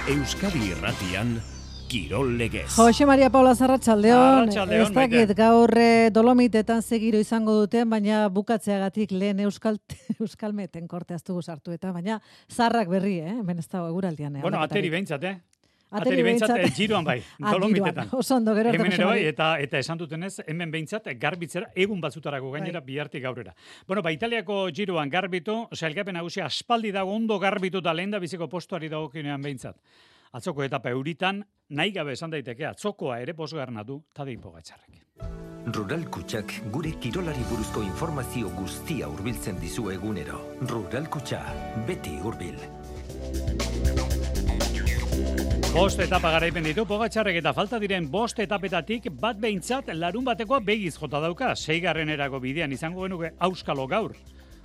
Euskadi Irratian, Kirol Legez. Jose Maria Paula Arratsaldeon. Arratsaldeon, Ez dakit gaur Dolomitetan segiro izango duten, baina bukatzeagatik lehen Euskalmeten korte aztugu sartu eta, baina zarrak berri, hemen ez dago eguraldian. Bueno, ateri behintzat, Ateri behintzat giroan bai, Dolomitetan. Oso ondo, gero hemen ere bai, eta esan dutenez, hemen behintzat garbitzera, egun batzutarako gainera, bihartik gaurera. Bueno, Italiako giroan garbitu, sailkapen nagusia aspaldi dago ondo garbitu eta lehen da biziko postuari dagokionean behintzat. Atzoko etapa euritan, nahi gabe esan daiteke, atzokoa ere bosgarna du Tadej Pogačarrek. Rural Kutxak gure kirolari buruzko informazio guztia hurbiltzen dizu egunero. Rural Kutxa, beti hurbil. Bost etapa garaipen ditu Pogačarrek eta falta diren bost etapetatik bat behintzat larun batekoa begiz jota dauka. 6. bidean izango genuke Auskalo gaur.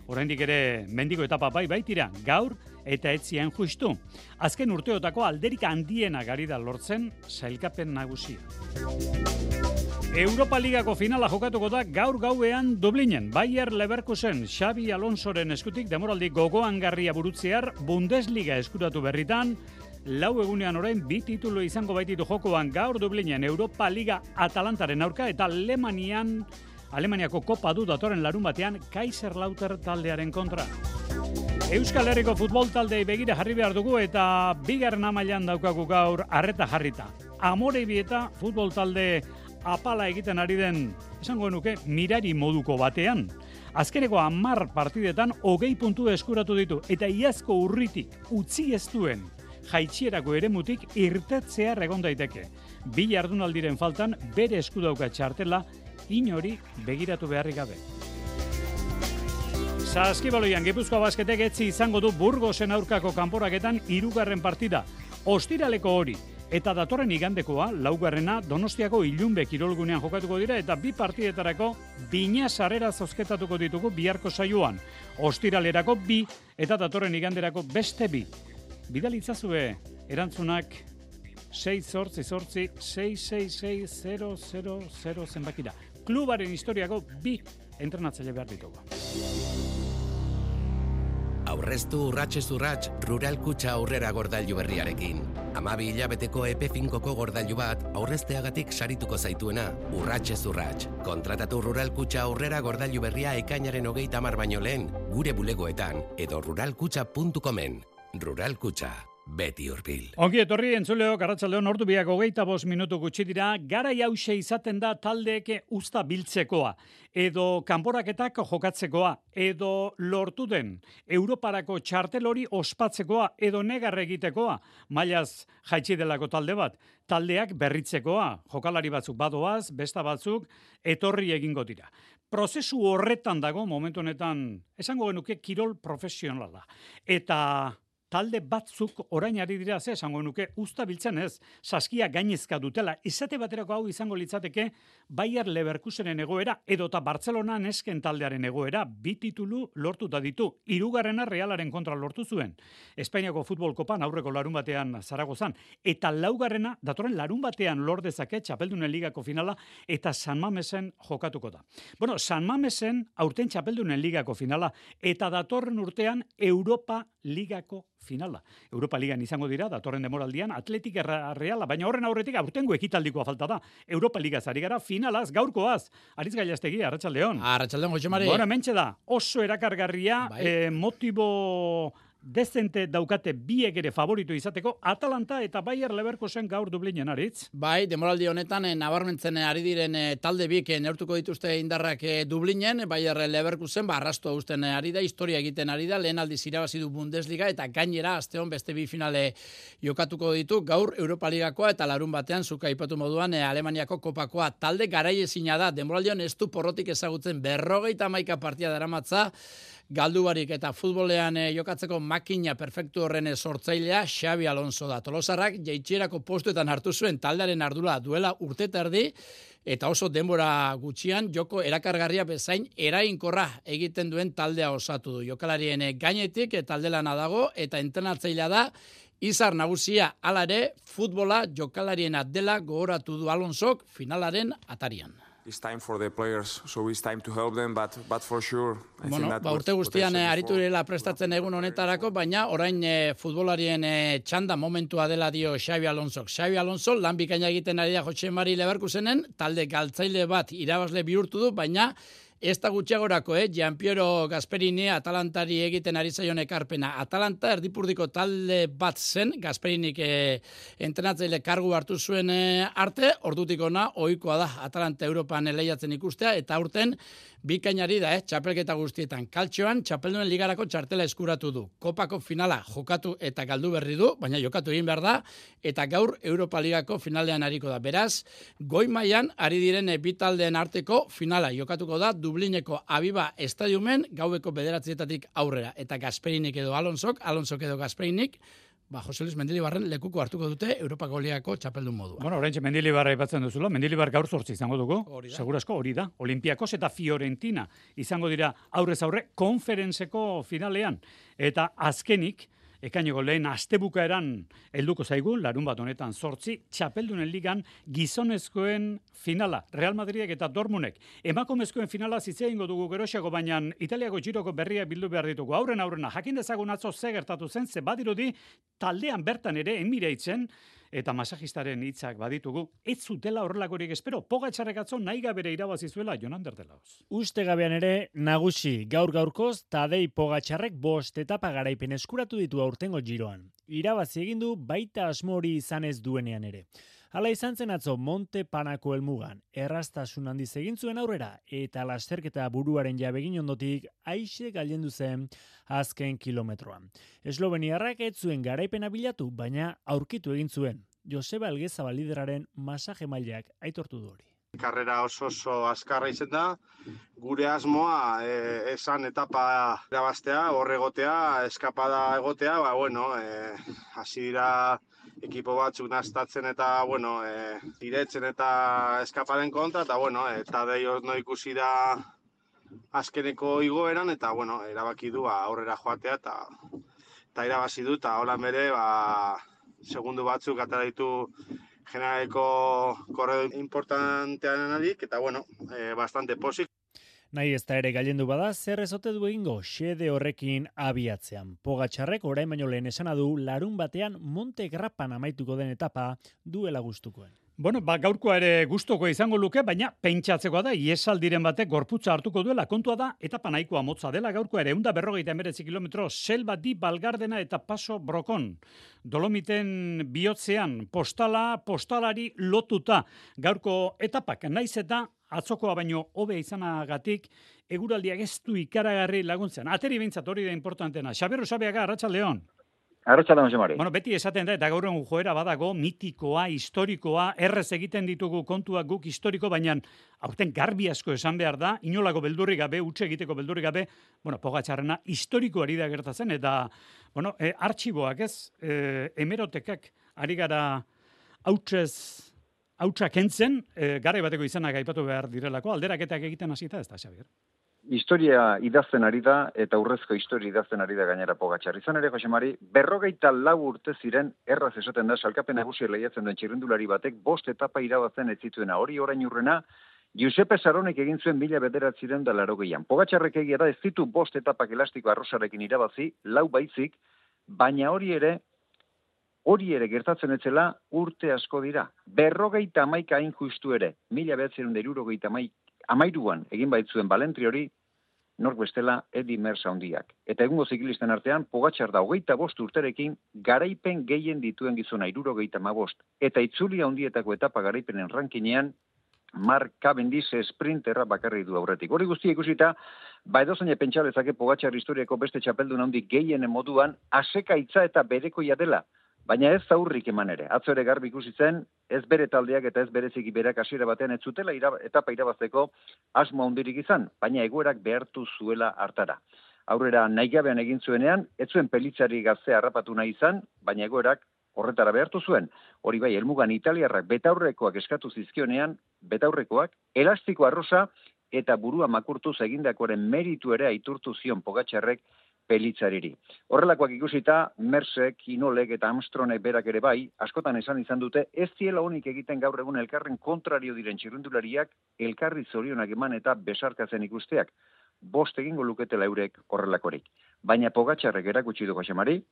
Oraindik ere mendiko etapa baitira gaur eta etzien justu. Azken urteotako alderik handiena gari da lortzen sailkapen nagusia. Europa Ligako finala jokatuko da gaur gauean Dublinen. Bayer Leverkusen Xabi Alonsoren eskutik demoraldi gogoangarria burutzear Bundesliga eskuratu berritan. 4 egunean orain 2 titulu izango baititu jokoan gaur Dublinen Europa Liga Atalantaren aurka eta Alemaniako kopa du datorren larun batean Kaiserslautern taldearen kontra. Euskal Herriko futbol taldei begira jarri behar dugu eta 2. mailan daukagu gaur arreta jarrita. Amorebieta futbol talde apala egiten ari den, esango genuke, mirari moduko batean. Azkeneko 10 partidetan 20 puntu eskuratu ditu eta iazko urritik utzi ez duen jaitsierako eremutik irtetzear egon daiteke. 2 jardunaldiren faltan bere esku dauka txartela inori begiratu beharrik gabe. Saskibaloian Gipuzkoa Basketek etzi izango du Burgosen aurkako kanporaketan 3. partida. Ostiraleko hori eta datorren igandekoa 4. Donostiako Ilunbe kirolgunean jokatuko dira eta 2 partidetarako bina sarrera zozketatuko ditugu biharko saioan. Ostiralerako 2 eta datorren iganderako beste 2. Bidalitzazue erantzunak 688-666-000 zenbakira. Klubaren historiako 2 entrenatzaile behar ditugu. Aurreztu urratsez urrats Rural Kutxa aurrera gordailu berriarekin. 12 hilabeteko epe finkoko gordailu bat aurrezteagatik sarituko zaituena urratsez urrats. Kontratatu Rural Kutxa aurrera gordailu berria ekainaren 30 baino lehen gure bulegoetan edo ruralkutxa.comen. Rural Kutxa, beti hurbil. Ongi etorri entzuleok, arratsaldeon 25 minutu gutxi dira, garai hauxe izaten da taldeek usta biltzekoa, edo kanporaketak jokatzekoa, edo lortu den Europarako txartel hori ospatzekoa, edo negar egitekoa, mailaz jaitsi delako talde bat, taldeak berritzekoa, jokalari batzuk badoaz, besta batzuk, etorri egingo dira. Prozesu horretan dago, momentu honetan, esango genuke kirol profesionala. Eta talde batzuk orain ari dira esango nuke usta biltzen ez, saskia gainezka dutela. Izate baterako hau izango litzateke Bayer Leverkusenen egoera edota Barcelona nesken taldearen egoera 2 titulu lortuta ditu. 3. Realaren kontra lortu zuen. Espainiako futbol kopan aurreko larun batean Zaragozan eta 4. datorren larun batean lor dezake Txapeldunen ligako finala eta San Mamesen jokatuko da. Bueno, San Mamesen aurten Txapeldunen ligako finala eta datorren urtean Europa Ligako finala. Europa Ligan izango dira, datorren demoraldian, Atletik Reala, baina horren aurretik aurtengo ekitaldikoa falta da. Europa Ligaz ari gara, finalaz, gaurkoaz. Aritz Gailastegi, arratsaldeon. Arratsaldeon, Jose Mari. Bueno, mentxe da, oso erakargarria, motibo dezente daukate biek ere favorito izateko, Atalanta eta Bayer Leverkusen gaur Dublinen, Aritz. Bai, demoraldi honetan nabarmentzen ari diren talde biek neurtuko dituzte indarrak Dublinen, Bayer Leverkusen arrastoa uzten ari da, historia egiten ari da, lehen aldiz irabazi du Bundesliga eta gainera asteon beste 2 finale jokatuko ditu, gaur Europa Ligakoa eta larun batean zuka aipatu moduan Alemaniako kopakoa. Talde garaiezina da, demoraldion ez du porrotik ezagutzen 51 partida daramatza, galdubarik eta futbolean jokatzeko makina perfektu horren sortzailea Xabi Alonso da. Tolosarrak jaitsierako postuetan hartu zuen taldearen ardura duela urte terdi eta oso denbora gutxian joko erakargarria bezain eraginkorra egiten duen taldea osatu du. Jokalarien gainetik taldelana dago eta entrenatzailea da izar nagusia. Hala ere, futbola jokalariena dela gogoratu du Alonsok finalaren atarian. It's time for the players, so it's time to help them, but for sure, I think that urte guztian aritu direla prestatzen egun honetarako, baina orain futbolarien txanda momentua dela dio Xabi Alonsok. Xabi Alonso lan bikaina egiten ari da Jose Mari Leverkusenen, talde galtzaile bat irabazle bihurtu du, baina ez da gutxiagorako, Gianpiero Gasperini Atalantari egiten ari zaion ekarpena. Atalanta erdipurdiko talde bat zen, Gasperinik entrenatzaile kargu hartu zuen arte, ordutik ona ohikoa da Atalanta Europan lehiatzen ikustea, eta aurten bikainari da, txapelketa guztietan. Kaltxoan, txapelduen ligarako txartela eskuratu du. Kopako finala jokatu eta galdu berri du, baina jokatu egin behar da, eta gaur Europa Ligako finalean ariko da. Beraz, goi mailan ari diren bitaldeen arteko finala jokatuko da Dublineko Aviva Estadiumen gaueko 9:00 aurrera. Eta Gasperinik edo Alonsok edo Gasperinik, Jose Luis Mendilibarren lekuko hartuko dute Europako Ligako txapeldun modua. Bueno, oraintxe Mendilibar aipatzen duzula, Mendilibar gaur 8 izango dugu, segurazko hori da. Olimpiakos eta Fiorentina izango dira aurrez aurre konferentzeko finalean. Eta azkenik, ekaineko lehen astebukaeran helduko zaigu, larun bat honetan 8, txapeldunen ligan gizonezkoen finala, Real Madridek eta Dortmundek. Emakumezkoen finala zitzea ingo dugu geroxeago, baina Italiako Giroko berriak bildu behar ditugu. Aurrena, jakin dezagun atzo ze gertatu zen, ze badirudi taldean bertan ere emireitzen, eta masajistaren hitzak baditugu, ez zutela horrelakorik espero, Pogačarrek atzo nahi gabere irabazi zuela Jon Ander de Lahoz. Uste gabean ere, nagusi, gaur-gaurkoz, Tadej Pogačarrek 5 etapa garaipen eskuratu ditu aurtengo Giroan. Irabazi egin du baita asmo hori izan ez duenean ere. Hala izan zen atzo Monte Panako helmugan, erraztasun handiz egin zuen aurrera, eta lasterketa buruaren jabegin ondotik aixe gailendu zen azken kilometroan. Esloveniarrak ez zuen garaipena bilatu, baina aurkitu egin zuen. Joseba Elgezabal lideraren masaje mailak aitortu du hori. Karrera oso azkarra izen da, gure asmoa esan etapa irabaztea, horregotea, eskapada egotea, hasi dira ekipo batzuk naztatzen eta, diretzen eta eskapaden kontra, eta Tadej no ikusi da azkeneko igoeran, eta, erabaki du aurrera joatea, eta irabazi du, eta holan bere, segundu batzuk atera ditu generaleko korredor importanteanenarik, eta, bastante posik. Nahi ez da ere gailendu bada, zer ezote du egingo xede horrekin abiatzean. Pogačarrek orain baino lehen esana du, larun batean Monte Grapan amaituko den etapa duela gustukoen. Bueno, gaurkoa ere gustuko izango luke, baina pentsatzekoa da, iesaldiren batek gorputza hartuko duela. Kontua da, etapa nahikoa motza dela gaurkoa ere, 159 kilometro, Selva di Balgardena eta Paso Brokon. Dolomiten bihotzean, postalari lotuta. Gaurko etapak, naiz eta atzokoa baino hobe izanagatik, eguraldiak ez du ikaragarri laguntzen. Ateri behintzat hori da importantena. Xabier Usabiaga, Arratsaldeon. Arratsaldeon, Jose Mari. Bueno, beti esaten da, eta gaur egun joera badago, mitikoa, historikoa, errez egiten ditugu kontuak guk historiko, baina aurten garbi asko esan behar da, inolako beldurrik gabe, utxe egiteko beldurrik gabe, Pogačarrena historikoari da gertatzen, eta, artxiboak ez, hemerotekak ari gara hautsa kentzen, garai bateko izanak aipatu behar direlako, alderaketak egiten hasita ez da, Xabier? Historia idazten ari da, eta urrezko historia idazten ari da gainera Pogačar. Izan ere, Jose Mari, 54 urte ziren, erraz esaten da, salkapen nagusia lehiatzen duen txirrindulari batek, 5 etapa irabazten ez zituena. Hori orain urrena, Giuseppe Saronek egin zuen 1980an. Pogačarrek egia da ez ditu 5 etapak elastiko arrosarekin irabazi, 4 baizik, baina hori ere gertatzen etzela urte asko dira. 51 hain justu ere, 1973an egin baitzuen Balentri hori, nork bestela Eddy Merckx handiak. Eta egungo ziklisten artean, Pogačar da 25 urterekin garaipen gehien dituen gizona 75, eta itzuli handietako etapa garaipenen rankinean, Mark Cavendish sprinterra bakarri du aurretik. Hori guztia ikusita, edozein pentsa lezake Pogačar historiako beste txapeldun handi gehienen moduan, asekaitza eta berekoia dela. Baina ez zaurrik eman ere. Atzo ere garbi ikusi zen, ez bere taldeak eta ez bereziki berak hasiera batean ez zutela etapa irabazteko asmo handirik izan, baina egoerak behartu zuela hartara. Aurrera nahigabean egin zuenean, ez zuen pelitzari gaztea harrapatu nahi izan, baina egoerak horretara behartu zuen. Hori bai, helmugan italiarrak betaurrekoak eskatu zizkionean, betaurrekoak, elastiko arrosa eta burua makurtuz egindakoaren meritu ere aitortu zion Pogačarrek Pelitzariri. Horrelakoak ikusita, Mersek, Inolek eta Armstrongek berak ere bai, askotan izan dute, ez ziela honik egiten gaur egun elkarren kontrario diren txirrindulariak, elkarri zorionak eman eta besarkatzen ikusteak. 5 egingo luketela eurek horrelakorik. Baina Pogačarrek erakutsi du Josemari,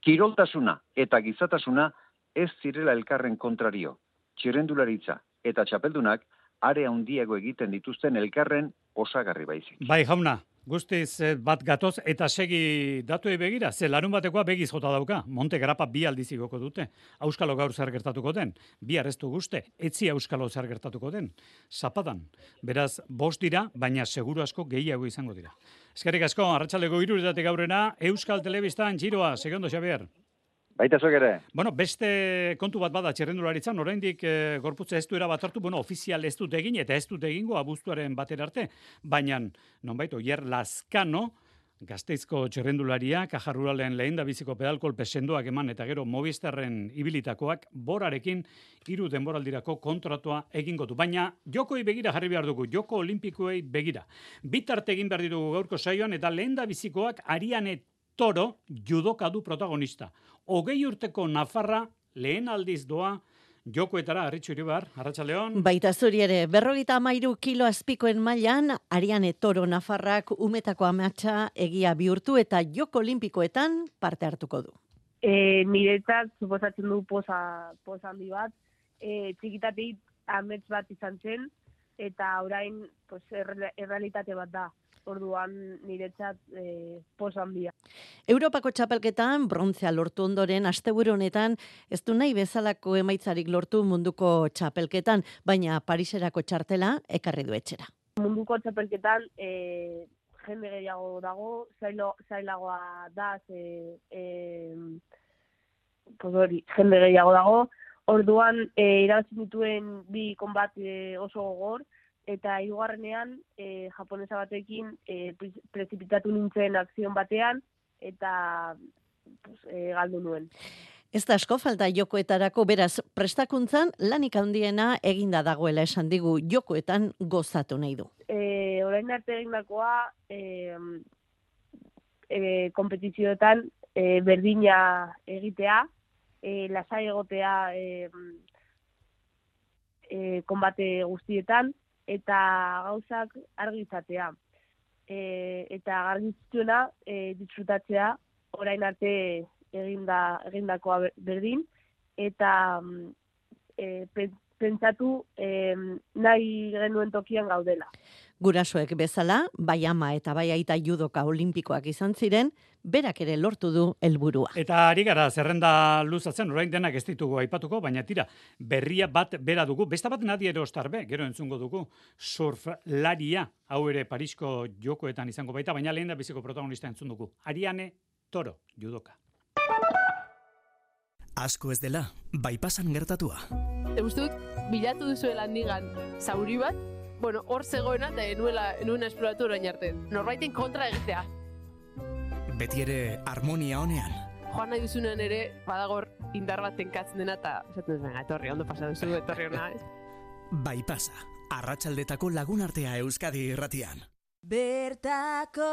kiroltasuna eta gizatasuna ez zirela elkarren kontrario. Txirrindularitza eta txapeldunak are handiago egiten dituzten elkarren osagarri baizik. Bai, jauna, guztiz bat gatoz eta segi datuei begira, ze larun batekoa begiz jota dauka. Monte Grapa 2 aldiz igoko dute. Auskalo gaur zer gertatuko den, bihar ez du guzte, etzi auskalo zer gertatuko den. Zapadan. Beraz, 5 dira, baina seguru asko gehiago izango dira. Eskerrik asko, arratsaldeko 3:00 aurrera, Euskal Telebistan Giroa, segondo Xabier. Baita zuek ere. Bueno, beste kontu bat bada txirrendularitzan, oraindik gorputza ez du erabat hartu, ofizial ez dut egin, eta ez dut egingo abuztuaren batera arte, baina, nonbait, Oier Lazkano, Gasteizko txirrendularia, Caja Ruralen lehendabiziko pedalkolpe sendoak eman, eta gero Movistarren ibilitakoak, borarekin 3 denboraldirako kontratua egingo du. Baina, jokoi begira jarri behar dugu, joko olimpikoei begira. Bitarte egin behar ditugu gaurko saioan, eta lehendabizikoak Ariane Toro judoka du protagonista. 20 urteko Nafarra lehen aldiz doa jokoetara, Arritxu Iribar, arratsaldeon. Baita zuri ere, 53 kilo azpikoen mailan, Ariane Toro Nafarrak umetako amatsa egia bihurtu eta joko olimpikoetan parte hartuko du. Niretzat, suposatzen du poza handi bat, txikitatik amets bat izan zen, eta orain errealitate bat da. Orduan niretzat poza handia. Europako txapelketan brontzea lortu ondoren asteburu honetan ez du nahi bezalako emaitzarik lortu munduko txapelketan, baina Pariserako txartela ekarri du etxera. Munduko txapelketan jende gehiago dago, zailagoa da, jende gehiago dago. Orduan irabazi dituen 2 konbat oso gogor, eta hirugarrenean japonesa batekin prezipitatu nintzen akzion batean eta galdu nuen. Ez da asko falta jokoetarako, beraz prestakuntzan lanik handiena eginda dagoela esan digu, jokoetan gozatu nahi du. Orain arte egindakoa konpetizioetan berdina egitea, lasai egotea konbate guztietan, eta gauzak argi izatea. Eta argitzuena disfrutatzea orain arte egindakoa berdin, eta pentsatu nahi genuen tokian gaudela. Gurasoek bezala, bai ama eta bai aita judoka olimpikoak izan ziren, berak ere lortu du helburua. Eta ari gara zerrenda luzatzen, orain denak ez ditugu aipatuko, baina tira, berria bat bera dugu, besta bat Nadia Ostarbe, gero entzungo dugu, surflaria, hau ere Parisko jokoetan izango baita, baina lehen da biziko protagonista entzun dugu. Ariane Toro, judoka. Asko ez dela, bai pasan gertatua. Eustut, bilatu duzuela handigan zauri bat, hor zegoena eta enuena esploratu orain arte. Norbaiten kontra egitea. Beti ere harmonia honean. Joan nahi duzunean ere, badagor indar bat tenkatzen dena eta esaten duen, etorri, ondo pasa duzu, etorri hona. Bai pasa, arratsaldetako lagunartea Euskadi irratian. Bertako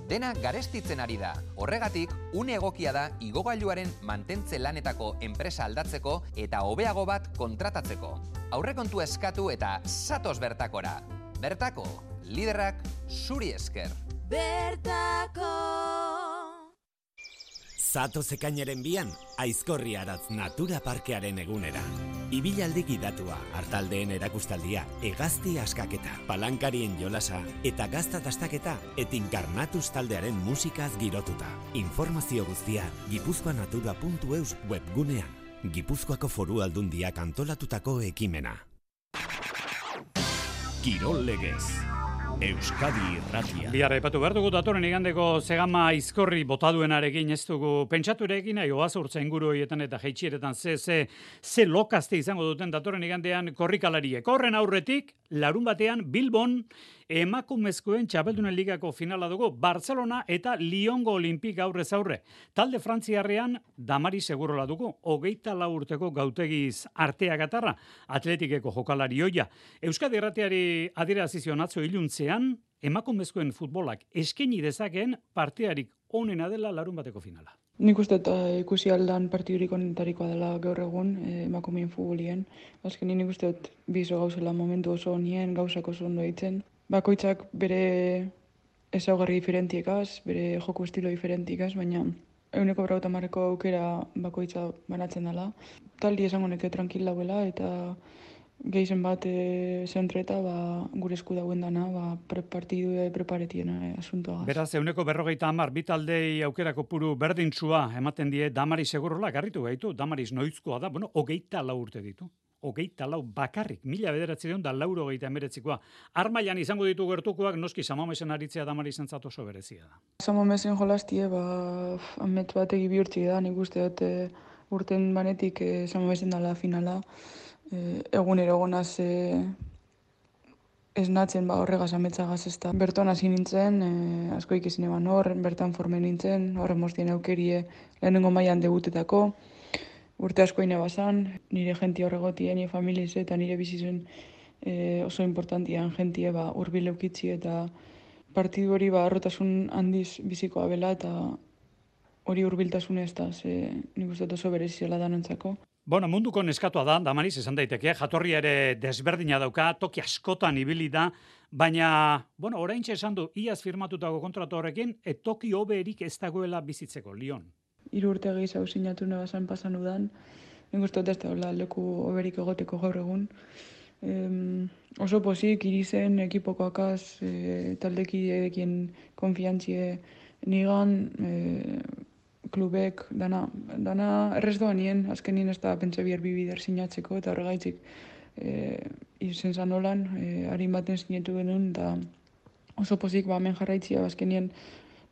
Dena garestitzen ari da. Horregatik, une egokia da igogailuaren mantentze lanetako enpresa aldatzeko eta hobeago bat kontratatzeko. Aurrekontua eskatu eta zatoz bertakora. Bertako, liderrak zuri esker. Bertako Zatoz ekainaren 2an, Aizkorri Aratz Natura Parkearen egunera. Ibilaldi gidatua, hartaldeen erakustaldia, hegazti askaketa, palankarien jolasa eta gazta dastaketa etinkarnatuz taldearen musikaz girotuta. Informazio guztia gipuzkoanatura.eus webgunean. Gipuzkoako Foru Aldundiak antolatutako ekimena. Kirol legez. Euskadi irratia. Bihar aipatu behar dugu datorren igandeko Zegama Aizkorri botaduenarekin ez dugu pentsaturekin, oaz urtza inguru horietan eta jeitxieretan ze lokazte izango duten datorren igandean korrikalariek. Horren aurretik, larun batean Bilbon emakumezkoen txapeldunen ligako finala dugu, Barcelona eta Lyongo Olimpik aurrez aurre. Talde frantziarrean Damari Segurola dugu, 24 urteko gautegiz arteak atarra, atletikeko jokalari hoia. Euskadi irratiari adierazizion atzo iluntzean, emakumezkoen futbolak eskaini dezakeen partidarik onena dela larun bateko finala. Nik uste ikusi aldan partidurik onetarikoa dela gaur egun emakumeen futbolien. Azkenin nik uste bizo gauzela momentu oso honien, gauzak oso ondo ditzen. Bakoitzak bere ezaugarri diferentiekaz, bere joko estilo diferentikaz, baina 150 aukera bakoitza banatzen dela. Taldi esango neke tranquil dauela eta gehizen bat zentreta gure esku dauen dana partidu preparetien asuntoa. Beraz, 150 bi taldei aukerako puru berdintsua ematen die Damaris Segurola garritu gaitu. Damaris noizkoa da, 24 urte ditu. 24 bakarrik, 1989koa. Armailan izango ditu gertukoak, noski Samamesen aritzea Damarizen oso berezia da. Samamesen jolastie, amet bat egi bihurtzi da, nik uste dut urten banetik Samamesen dala finala. Egunero gonaz esnatzen horregaz ametzagaz ez da. Berton hasi nintzen, asko ikizin eban bertan formen nintzen, horre mostien aukerie lehenengo mailan debutetako. Urte asko ine bazan, nire jentia horregotien, nire familiz eta nire bizizen oso importantian jentie urbil eukitzi eta partidu hori arrotasun handiz bizikoa bela eta hori urbiltasun ez da, nik uste oso bereziela danontzako. Munduko neskatua da, Damaris, esan daiteke, jatorria ere desberdina dauka, toki askotan ibili da, baina, oraintxe esan du, iaz firmatutako kontratu horrekin, toki hoberik ez dagoela bizitzeko, Lyon. 3 urte gehiago sinatu nebazan pasan udan, nik uste ez da leku hoberik egoteko gaur egun. Oso pozik, irizen, ekipokoakaz, taldekidekien konfiantzie nigan, klubek, dana errez doa nien, azkenien ez da pentsa bihar bibider sinatzeko, eta horregaitzik izen zan holan, harin baten sinetu genuen, eta oso pozik hemen jarraitzia, azkenien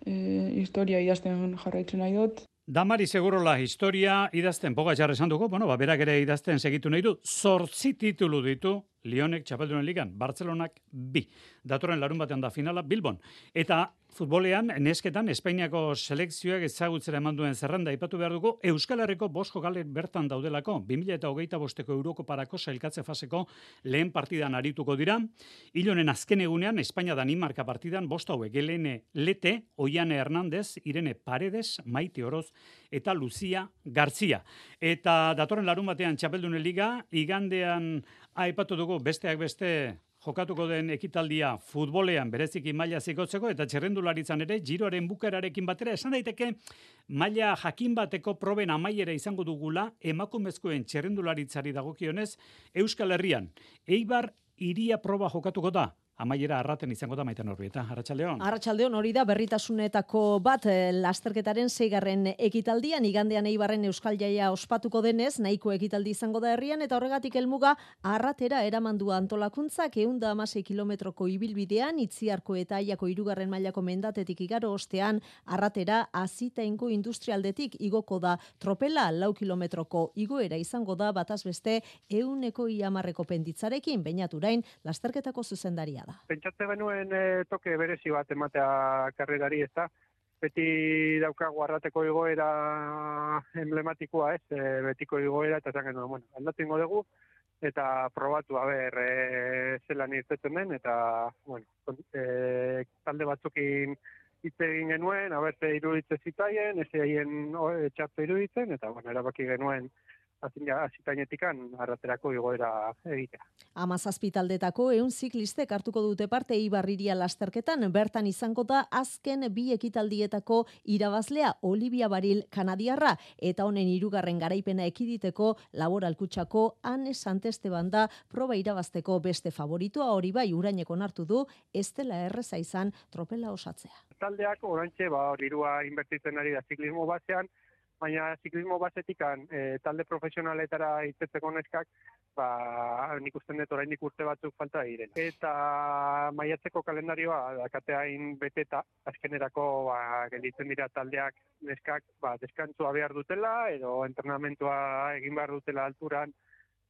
historia idazten jarraitzen nahi dut. Damaris Segurola historia idazten Pogačar esan dugu, berak ere idazten segitu nahi du, 8 titulu ditu Lyonek Txapeldunen Ligan, Bartzelonak 2. Datorren larun batean da finala Bilbon. Eta futbolean, nesketan, Espainiako selekzioak ezagutzera eman duen zerrenda ipatu behar dugu, Euskal Herriko 5 jokalek bertan daudelako, 2025ko Eurokoparako sailkatze faseko lehen partidan arituko dira. Ilonen azken egunean, Espainia-Danimarka partidan 5 hauek, Helene Lete, Oiane Hernandez, Irene Paredes, Maite Oroz eta Lucia Gartzia. Eta datorren larun batean Txapeldunen Liga, igandean aipatu dugu besteak beste jokatuko den ekitaldia futbolean bereziki maila zikotzeko eta txerrendularitzan ere giroaren bukaerarekin batera esan daiteke maila jakin bateko proben amaiera izango dugula emakumezkoen txerrendularitzari dagokionez Euskal Herrian. Eibar Iria proba jokatuko da. Amaiera arraten izango da Maite Norbieta. Arratsaldeon. Arratsaldeon hori da berritasunetako bat lasterketaren 6. ekitaldian igandean Eibarren Euskal Jaia ospatuko denez, nahiko ekitaldi izango da herrian eta horregatik helmuga arratera eramandu antolakuntzak 116 kilometroko ibilbidean Itziarko eta Aiako 3. mailako mendatetik igaro ostean arratera Azitaingo industrialdetik igoko da tropela 4 kilometroko igoera izango da bataz beste 110 penditzarekin Beñaturain lasterketako zuzendaria. Pentsatze genuen toke berezi bat ematea karrerari, ez da? Beti daukagu arrateko igoera emblematikoa, ez? Betiko igoera, eta esan genuen, aldatzen dugu, eta probatu, zelan irtetzen den, eta, talde batzukin hitz egin genuen, ze iruditzen zitaien, ez haien txartu iruditzen, eta, erabaki genuen, azitainetikan arraterako igoera egitea. 17 taldetako 100 ziklistek hartuko dute parte Eibar Iria lasterketan, bertan izango da azken 2 ekitaldietako irabazlea Olivia Baril kanadiarra, eta honen 3. garaipena ekiditeko Laboral Kutxako Anne Santesteban da proba irabazteko beste favoritua, hori bai Uraineko onartu du ez dela erreza izan tropela osatzea. Taldeak oraintxe dirua inbertitzen ari da ziklismo basean, baina ziklismo basetikan talde profesionaletara itzetzeko neskak, nik usten dut oraindik urte batzuk falta diren. Eta maiatzeko kalendarioa dakateain beteta, azkenerako gelditzen dira taldeak neskak deskantzua behar dutela, edo entrenamentua egin behar dutela alturan,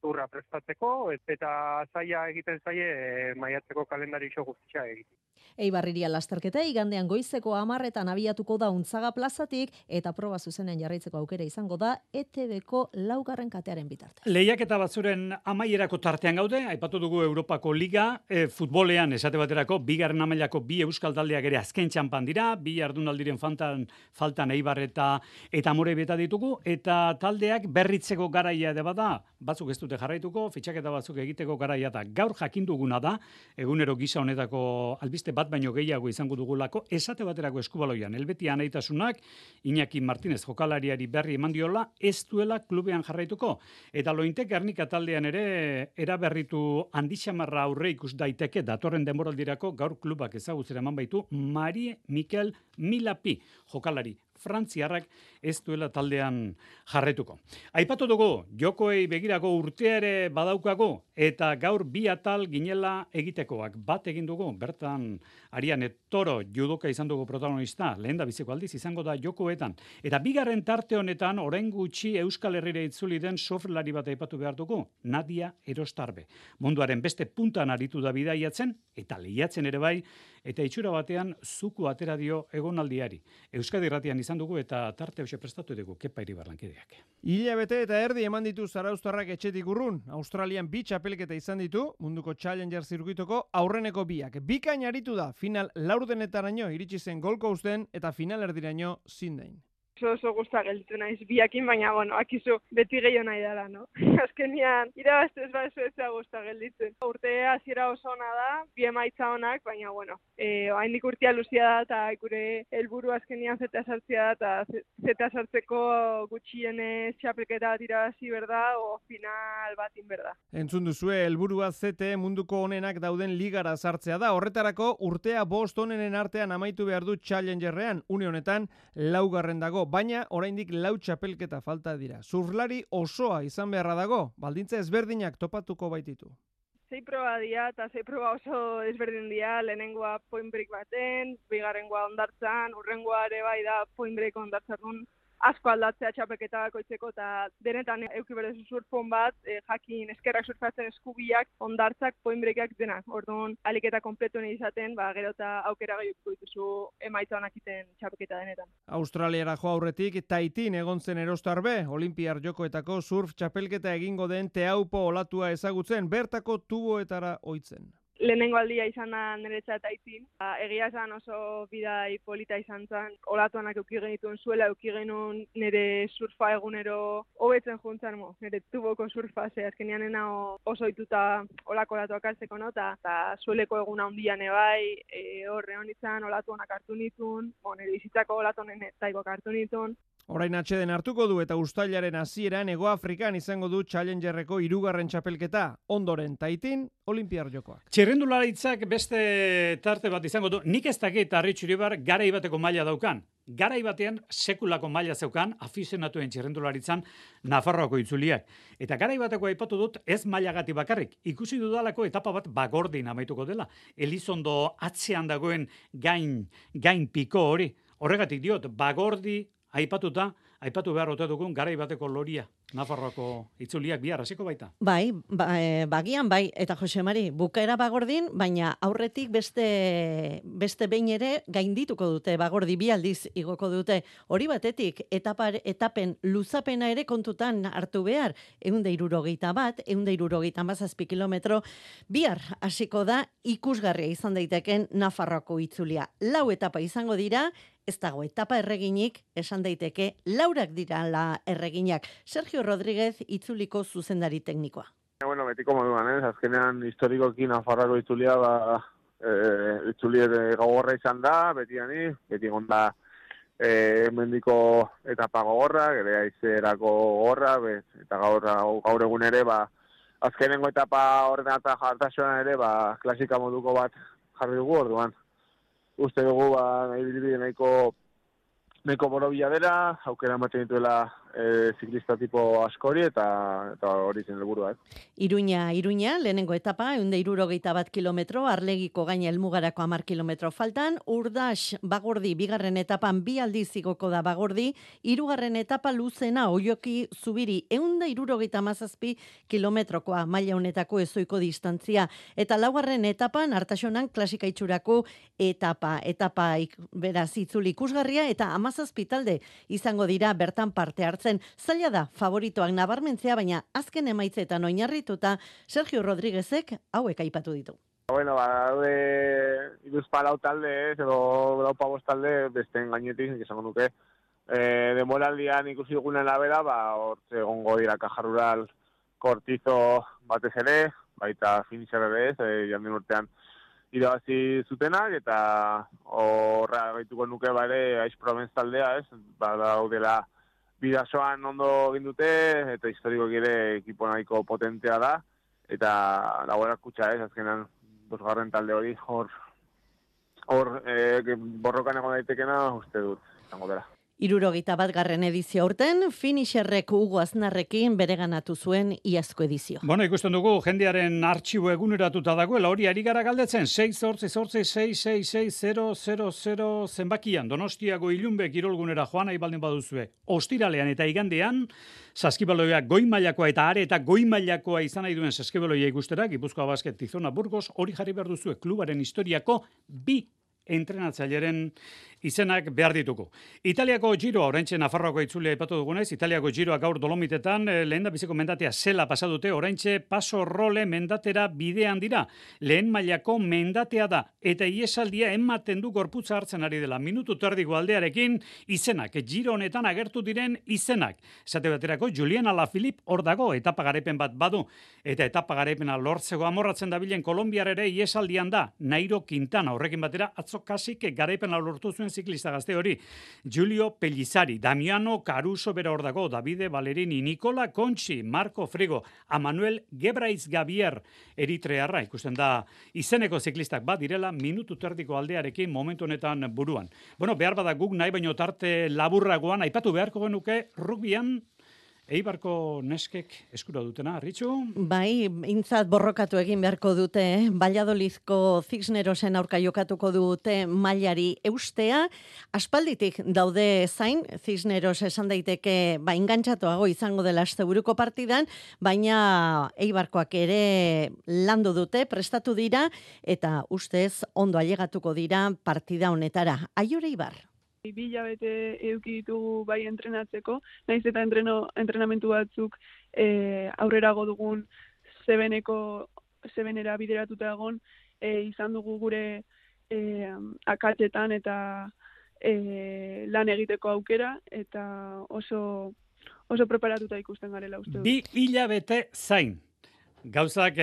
turra prestatzeko, eta zaila egiten zaie maiatzeko kalendario guztia egiten. Eibarriria lasterketa igandean goizeko 10etan abiatuko da Untzaga plazatik eta proba zuzenen jarraitzeko aukera izango da ETBko 4. katearen bitarte. Lehiaketa batzuren amaierako tartean gaude, aipatu dugu Europako Liga, futbolean esate baterako, 2. mailako 2 euskal taldeak ere azken txanpan dira, 2 jardunaldiren faltan Eibar eta Amorebeta ditugu, eta taldeak berritzeko garaia ere bada, batzuk ez dute jarraituko, fitxaketa batzuk egiteko garaia da. Gaur jakin duguna da, egunero gisa honetako albiste bat baino gehiago izango dugulako, esate baterako Eskubaloian, Helbeti anaitasunak, Iñaki Martínez jokalariari berri eman diola, ez duela klubean jarraituko. Eta Lointek Gernika taldean ere eraberritu handixamarra aurre ikus daiteke datorren denboraldirako gaur klubak ezagutzera eman baitu Marie Mikel Milapi jokalari frantziarrak ez duela taldean jarretuko. Aipatu dugu, jokoei begirako urtea ere badaukago, eta gaur 2 atal ginela egitekoak. Bat egin dugu, bertan Ariane Toro judoka izan dugu protagonista, lehen da biziko aldiz izango da jokoetan. Eta 2. tarte honetan, orain gutxi Euskal Herrira itzuli den surflari bat aipatu behar dugu, Nadia Erostarbe. Munduaren beste puntan aritu da bidaiatzen, eta lehiatzen ere bai, eta itxura batean zuku atera dio egonaldiari. Euskadi Irratian izan dugu eta tarte hoxe prestatu dugu Kepa Iribarlankideak. Hilabete eta erdi eman ditu zarauztarrak etxetik urrun. Australian 2 txapelketa izan ditu, munduko Challenger zirkuitoko aurreneko 2. Bikain aritu da, final laurdenetaraino iritsi zen Gold Coasten eta final erdiraino Sydneyn. Oso gusta gelditu naiz biakin, baina, akizu beti gehiago nahi dara, no? Azkenian, irabazte ez ez gusta gelditzen. Urte hasiera oso ona da, 2 emaitza onak, baina, haindik urtea luzia da, eta gure helburu azkenian zeta sartzea da, eta zeta sartzeko gutxien txapelketa bat irabazi berda, o final batin berda. Entzun duzue, helburua zete munduko onenak dauden ligara sartzea da. Horretarako urtea 5 onenen artean amaitu behar du Challengerrean, une honetan 4. dago. Baina oraindik 4 txapelketa falta dira. Surflari osoa izan beharra dago, baldintza ezberdinak topatuko baititu. 6 proba dira, eta 6 proba oso ezberdin dira, lehenengoa point break baten, 2. hondartzan, hurrengoa ere bai da point break hondartzarun, asko aldatzea txapelketa bakoitzeko, eta denetan euki berezu surfon bat, jakin eskerrak surfatzen eskubiak, hondartzak, point breakak denak. Orduan, aliketa kompletu nahi izaten, gero eta aukera gehiuko dituzu emaitza honak iten txapelketa denetan. Australiara jo aurretik, Taitin egon zen Erostarbe, Olimpiar Jokoetako surf txapelketa egingo den Teaupo olatua ezagutzen, bertako tuboetara ohitzen. Lehenengo aldia izan da niretzat Taitin. Egia esan oso bidai polita izan zen. Olatuanak euki genituen zuela, euki genuen nire surfa egunero hobetzen juntzan, nire tuboko surfa, azkenean nena oso ituta olako olatuak hartzeko, eta zueleko eguna handian ebai, horre honitzen olatuanak hartu nituen, nire bizitzako olatuanen taikok hartu nituen. Orain atxeden hartuko du eta uztailaren hasieran Hego Afrikan izango du Challengerreko 3. txapelketa, ondoren Taitin, Olimpiar Jokoak. Txirrendularitzak beste tarte bat izango du, nik ez dakit Arritxu Iribar garai bateko maila daukan. Garai batean sekulako maila zeukan afizionatuen txirrendularitzan Nafarroako itzuliak. Eta garai bateko aipatu dut ez mailagati bakarrik. Ikusi dudalako etapa bat Bagordin amaituko dela. Elizondo atzean dagoen gain piko hori. Horregatik diot, Bagordi aipatu behar ote dugun garai bateko loria. Nafarroako itzuliak bihar hasiko baita. Bai, bagian bai, eta Jose Mari, bukaera Bagordin, baina aurretik beste behin ere gaindituko dute, Bagordi 2 aldiz igoko dute. Hori batetik, etapen luzapena ere kontutan hartu behar, 161, 167 kilometro, bihar hasiko da ikusgarria izan daiteken Nafarroako itzulia. 4 etapa izango dira, ez dago etapa erreginik, esan daiteke, 4 dira la erreginak. Sergio Rodríguez itzuliko zuzendari teknikoa. Betiko moduan, azkenean historikoki Nafarroako itzulia, itzulia gogorra izan da, beti gonda mendiko etapa gogorra, gere aizerako gogorra, eta gaur egun ere, azkenengo etapa horren eta jartasuan ere, klasika moduko bat jarri dugu orduan. Uste dugu, nahiko borobila dela, aukera ematen dituela ziklista tipo askori eta hori zen helburua. Iruña, lehenengo etapa, 161 kilometro, Arlegiko gaina helmugarako 10 kilometro faltan, Urdax Bagordi bigarren etapan 2 aldiz igoko da Bagordi, 3. etapa luzena Oioki Zubiri 177 kilometrokoa maila honetako ezoiko distantzia, eta 4. etapan Artasonan klasika itxurako etapa beraz itzuli ikusgarria eta 17 talde izango dira bertan parte hartzen. Zaila da favoritoak nabarmentzea, baina azken emaitzetan oinarrituta Sergio Rodríguezek hauek aipatu ditu. Bueno, daude 14 talde, edo 15 talde besten gainetik, esango nuke. Demoraldian ikusi dugunen abera, hor egongo dira Caja Rural, Kortizo batez ere, baita Finisher ere ez, jandien urtean irabazi zutenak, eta horra gaituko nuke bare Aiz Provence taldea, ez, daudela bidasoan ondo egin dute, eta historiko ere ekipo nahiko potentea da, eta Laguera Kutxa ez, azkenan 2. talde hori hor borrokan egon daitekena uste dut, izango dela. 71. edizio aurten, Finisherrek Hugo Aznarrekin bereganatu zuen iazko edizio. Bueno, ikusten dugu, jendearen artxibo eguneratuta dagoela, hori ari gara galdetzen, 6-8-6-6-6-6-0-0-0 zenbakian, Donostiago Ilunbe kirolgunera joan nahi baldin baduzue. Ostiralean eta igandean, saskibaloia goi mailakoa eta are eta goi mailakoa izan nahi duen saskibaloia ikustera, Gipuzkoa Basket Tizona Burgos, hori jarri behar duzue klubaren historiako 2 entrenatzaileren izenak behar dituko. Italiako Giroa, oraintxe Nafarroako itzulia aipatu dugunez, Italiako Giroa gaur Dolomitetan, lehen da biziko mendatea zela pasadute, oraintxe Paso Role mendatera bidean dira. Lehen mailako mendatea da, eta iesaldia ematen du gorputza hartzen ari dela. Minutu terdiko aldearekin izenak, Giro honetan agertu diren izenak. Esate baterako, Julian Alaphilippe hor dago, etapa garaipen bat badu, eta etapa garaipena lortzeko amorratzen dabilen Kolombiar ere iesaldian da, Nairo Quintana, horrekin batera, atzo kasik garaipena lortu zuen ziklista gazte hori. Giulio Pellizzari, Damiano Caruso bera hor dago, Davide Valerini, Nicola Conchi, Marco Frigo, Amanuel Gebraiz Gabier, eritrearra, ikusten da izeneko ziklistak bat direla, minutu terdiko aldearekin momentu honetan buruan. Bueno, behar bada guk nahi baino tarte laburragoan, aipatu beharko genuke rugbyan, Eibarko neskek eskura dutena, Ritxu? Bai, intzat borrokatu egin beharko dute, Valladolidko Cisnerosen aurka jokatuko dute mailari eustea. Aspalditik daude zain, Cisneros esan daiteke engantzatuago izango dela asteburuko partidan, baina Eibarkoak ere landu dute, prestatu dira, eta ustez ondo ailegatuko dira partida honetara. Aior Eibar. 2 hilabete eduki ditugu bai entrenatzeko, naiz eta entrenamentu batzuk aurrerago dugun 7era bideratuta egon, izan dugu gure akatsetan eta lan egiteko aukera, eta oso preparatuta ikusten garela uste dut. 2 hilabete zain. Gauzak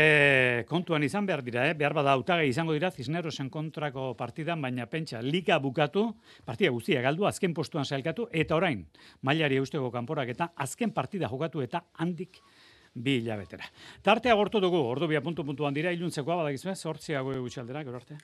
kontuan izan behar dira, behar bada hautagai izango dira Cisnerosen kontrako partidan, baina pentsa liga bukatu, partida guztia galdu, azken postuan sailkatu, eta orain, mailari eusteko kanporak eta azken partida jokatu eta handik 2 hilabetera. Tartea gortu dugu, ordu 2 puntuan dira, iluntzekoa badakizue, 8 gutxi aldera, gero arte.